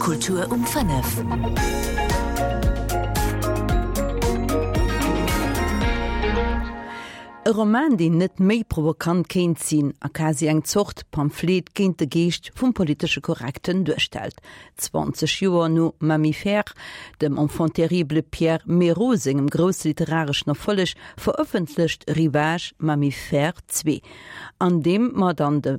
Kultur um 5. E Roman, deen net méi provokant kéint sinn a quasi eng Zort Pamphlet géint de Geescht vum politesche Korrekten duerstellt. 20 Joer no Mammifères, dem Enfant terrible Pierre Méraud sengem grousse literareschen Erfolleg, verëffentlecht Ryvage Mammifères 2, an deem mer dann de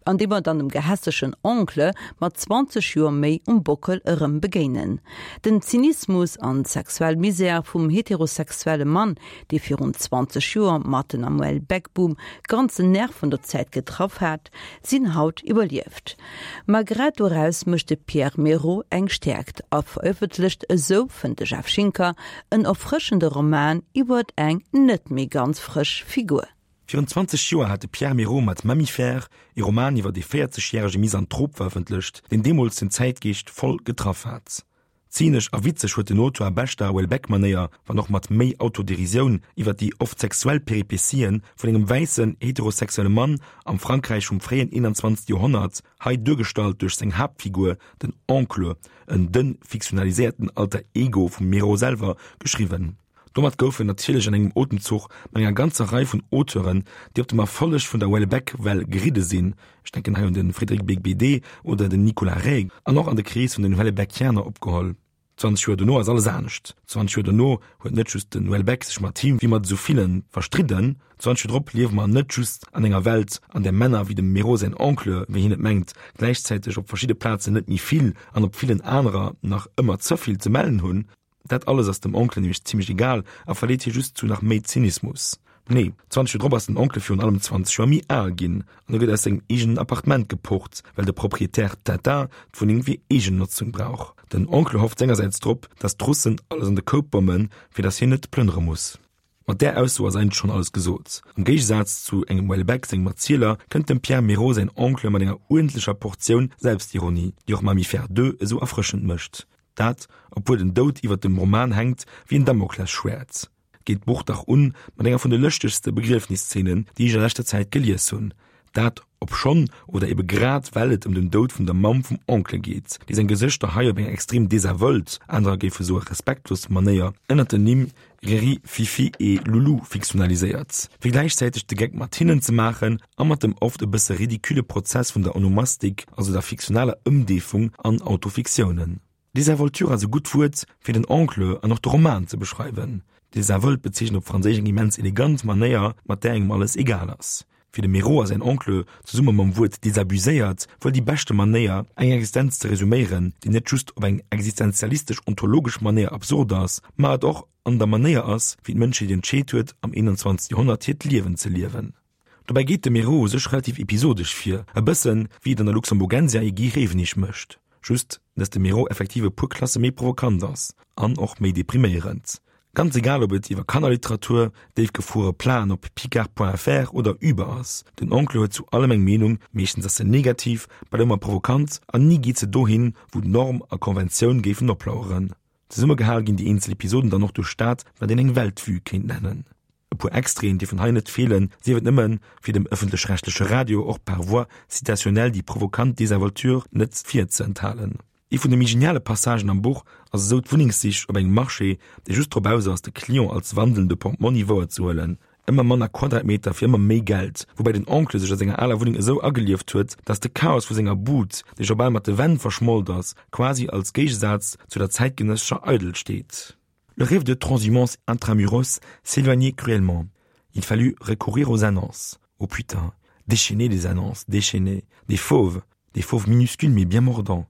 an deem mer dann dem gehässegen Oncle mat 20 Joer méi um Bockel erëm begéinen. Den Zynismus an d'sexuell Misär vum heterosexuelle Mann, dee virun 20 Joer mat den am Houellebecq-Boom ganz den Nerv vun der Zäit getraff hat, sinn haut iwwerlieft. Ma grad doraus mécht de Pierre Méraud eng Stäerkt a verëffentlecht esou, fënnt de Jeff Schinker, en erfrëschende Roman iwwert eng net méi ganz frësch Figur. Virun 20 Joer hat de Pierre Méraud mat Mammifères ee Roman iwwer ee 40 järege Misanthrop verëffentlecht, deen deemools den Zäitgeescht voll getraff hat. Zynesch a witzeg huet den Auteur a beschter Houellebecq-Manéier, wann och mat méi Autoderisioun, iwwer déi oft sexuell Peripetien vun engem wäissen, heterosexuelle Mann am Frankräich vum fréien 21. Joerhonnert, hei duergestallt duerch seng Haaptfigur, den Oncle, en dënn fiktionaliséierten Alter Ego vum Méraud selwer, geschriwwen. Domat gouf en natierlech an engem Otemzuch mat enger ganzer Rei vun Auteuren, déi op dem Erfolleg vun der Houellebecq-Well geridde sinn, ech denken hei un de Frédéric Beigbeder oder den Nicolas Reg, an och an de Krees vun den Houellebecquianer opgeholl. 20 Joer dono ass alles anescht. 20 Joer dono huet net just den Houellebecq sech mat him, wéi mat esou villen, verstridden. 20 Joer drop liewe mer net just an enger Welt, an där Männer wéi dem Méraud säin Oncle, wéi hien et mengt, gläichzäiteg op verschidde Plazen net méi vill an op villen anerer nach ëmmer ze vill ze mellen hunn. Dat alles ass dem Oncle nämlech zimmlech egal a verleet hie just zu nach méi Zynismus. Nee, 20 Joer drop ass den Oncle virun allem 20 Joer méi al ginn an e gëtt aus sengem eegenen Appartement gepocht, well de Proprietär Tintin d'Wunneng fir Eegennotzung brauch. Den Oncle hofft sengersäits drop, dass d'Russen alles an de Koup bommen, fir dass hien net plënnere muss. Mat där Ausso ass eigentlech schonn alles gesot. Am Géigesaz zu engem Houellebecq sengem Erzieler kënnt dem Pierre Méraud säin Oncle mat enger uerdentlecher Portioun Selbstironie, déi och Mammifères 2 esou erfrëschend mécht. Dat, obwuel den Doud iwwer dem Roman hänkt wéi en Damoklesschwäert. Geet d'Buch dach un mat enger vun de lëschtegste Begriefniszeenen, déi ech a leschter Zäit gelies hunn. Dat obschonn, oder ebe grad well et ëm den Doud vun der Mamm vum Oncle geet, déi seng Gesëschter hei op eng extrem desinvolt, anerer géife soe respektlos Manéier ënnert den Nimm Riri, Fifi et Loulou fiktionaliséiert, fir gläichzäiteg de Geck mat hinnen ze maachen a mat dem oft e bësse ridicule Prozess vun der Onomastik, also der fiktionaler Ëmdeefung an Autofiktiounen. Désinvolture ass e gutt Wuert, fir den Oncle an och de Roman ze beschreiwen. Désinvolte bezeechent op Franséisch eng immens elegant Manéier, mat där engem alles egal ass. Fir de Méraud ass säin Oncle, zesumme mam Wuert désabuséiert, wuel déi beschte Manéier, eng Existenz ze resuméieren, déi net just op eng existenzialistesch-ontologesch Manéier absurd ass, ma et och an der Manéier ass, wéi d'Mënschheet entscheet huet, am 21. Joerhonnert hiert Liewen ze liewen. Dobäi geet de Méraud u sech relativ episodesch vir, e bëssen, wéi et an der Luxemburgensia ee Guy Rewenig mécht, just dass de Méraud effektiv e puer Klasse méi provokant ass an och méi depriméierend. Ganz egal ob et iwwer Kannerliteratur, déifgefruere Plaen op picard.fr oder Uber ass, den Oncle huet zu allem eng Meenung, meeschtens ass se negativ, bal ëmmer provokant an ni geet se dohin, wou Norm a Konventioun géifen oplaueren. Zesummegehal ginn déi eenzel Episoden dann och duerch dat, wat een eng Weltvue kéint nennen. E puer Extraiten dierfen hei net feelen, sief et nëmmen, fir dem ëffentlech-rechtleche Radio och par voie citationnelle déi provokant Désinvolture net virzeenthalen. Ee vun de méi geniale Passagen am Buch ass esou d'Wunnengssich op engem Marché, dee just drop aus ass, de Client als wandelnde Portmonni wouerzehuelen. Ëmmer manner Quadratmeter fir ëmmer méi Geld, woubäi den Oncle sech a senger aler Wunneng esou agelieft huet, datt de Chaos vu senger Bud, dee scho bal mat de Wänn verschmolt ass, quasi als Géigesaz zu der zäitgenëssescher Eidel steet. Le rêve de transhumance intramuros s'éloignait cruellement. Il fallut recourir aux annonces. Oh putain, déchaîner les annonces, déchaîner des fauves, des fauves minuscules mais bien mordants.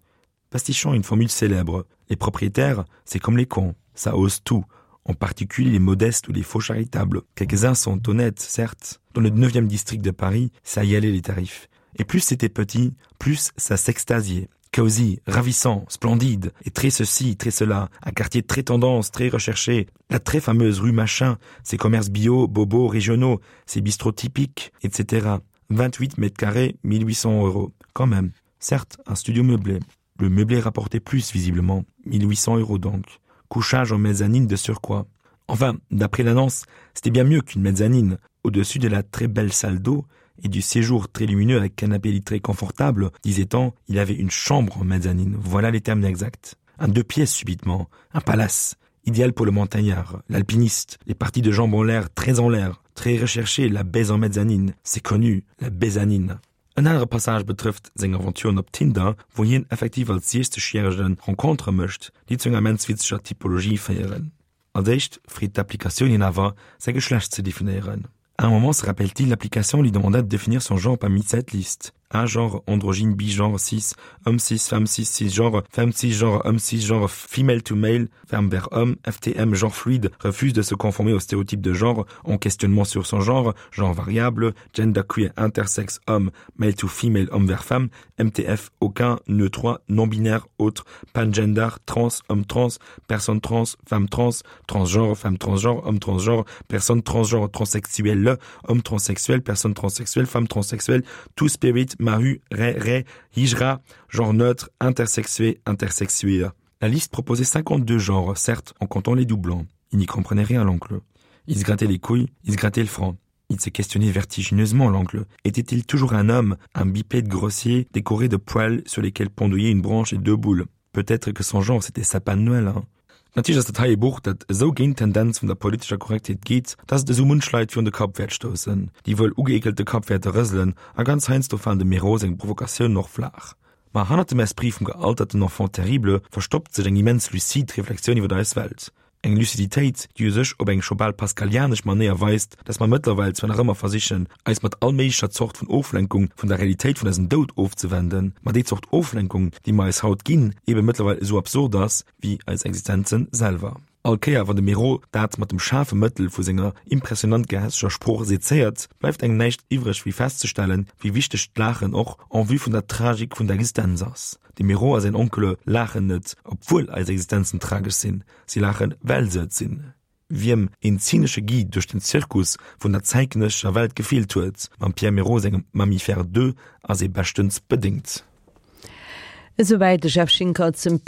Pastichant une formule célèbre, les propriétaires, c'est comme les cons, ça ose tout, en particulier les modestes ou les faux charitables. Quelques-uns sont honnêtes, certes. Dans le neuvième district de Paris, ça y allait les tarifs. Et plus c'était petit, plus ça s'extasiait. Cosy, ravissant, splendide, et très ceci, très cela, un quartier très tendance, très recherché, la très fameuse rue Machin, ses commerces bio, bobos régionaux, ses bistrots typiques, etc. 28 mètres carrés, 1800 euros. Quand même. Certes, un studio meublé. Le meublé rapportait plus visiblement, 1800 euros donc. Couchage en mezzanine de surcroît. Enfin, d'après l'annonce, c'était bien mieux qu'une mezzanine, au-dessus de la très belle salle d'eau. et du séjour très lumineux avec canapé lit très confortable, disait-on, il avait une chambre en mezzanine. Voilà les termes exacts. Un deux pièces subitement, un palace, idéal pour le montagnard, l'alpiniste, les parties de jambes en l'air, très en l'air, très recherché, la baise en mezzanine, c'est connu, la baisannine. En anere Passage betrëfft seng Aventuren op Tinder, wou hien effektiv als 60 järege Rencontere mécht, déi zu enger immens witzeger Typologie féieren. Als éischt freet d'Applikatioun hien awer, säi Geschlecht ze definéieren. À un moment, se rappelle-t-il, l'application lui demanda de définir son genre parmi cette liste. A genre, androgyne, bigenre, cis, homme cis, femme cis, cisgenre, femme cisgenre, homme cisgenre, female to male, femme vers homme, FTM, genre fluide, refuse de se conformer aux stéréotypes de genre, en questionnement sur son genre, genre variable, genderqueer, intersexe, homme, male to female, homme vers femme, MTF, aucun, neutre, non-binaire, autre, pangender, trans, homme trans, personne trans, femme trans, transgenre, femme transgenre, homme transgenre, personne transgenre, transsexuelle, homme transsexuel, personne transsexuelle, femme transsexuelle, tout spirit, mahu, ré, ré, hijra, genre neutre, intersexué, intersexué. La liste proposait 52 genres, certes en comptant les doublons. Il n'y comprenait rien l'oncle. Il se grattait les couilles, il se grattait le front. Il se questionnait vertigineusement l'oncle. Était-il toujours un homme, un bipède grossier, décoré de poils sur lesquels pendouillait une branche et deux boules? Peut-être que son genre c'était sapin de Noël, hein? Natierlech ass dat hei ee Buch, dat esou géint d'Tendenz vun der politescher Korrektheet geet, dass et esou munch Leit virun de Kapp wäert stoussen, déi wuel ugëeekelte Kapp wäerte rëselen a ganz heiansdo falen dem Méraud seng Provokatiounen och flaach. Ma hannert dem Esprit vum gealterten Enfant terrible verstoppt sech eng immens lucide Reflexioun iwwer eis Welt. Eng Luciditéit, déi u sech op eng scho bal pascalianesch Manéier weist, dass mer mëttlerweil zwar nach ëmmer versichen, eis mat all méiglecher Zort vun Oflenkung vun der Realitéit vun eisem Doud ofzewenden, ma déi Zort Oflenkung, déi mer eis haut ginn, ebe mëttlerweil esou absurd ass, wéi eis Existenze selwer. All Kéier, wann de Méraud dat mat dem schaarfe Mëttel vu senger impressionant gehässeger Sprooch sezéiert, bleift engem näischt iwwreg wéi festzestellen, wéi wichteg d'Laachen och en vue vun der Tragik vun der Existenz ass. De Méraud a säin Onkele laachen net, obwuel eis Existenzen tragesch sinn, si laachen, well se et sinn. Wiem een zynesche Guide duerch den Zirkus vun der zäitgenëssescher Welt gefeelt huet, mam Pierre Méraud sengem Mammifères 2 ass ee beschtens bedéngt. Esouwäit de Jeff Schinker zum.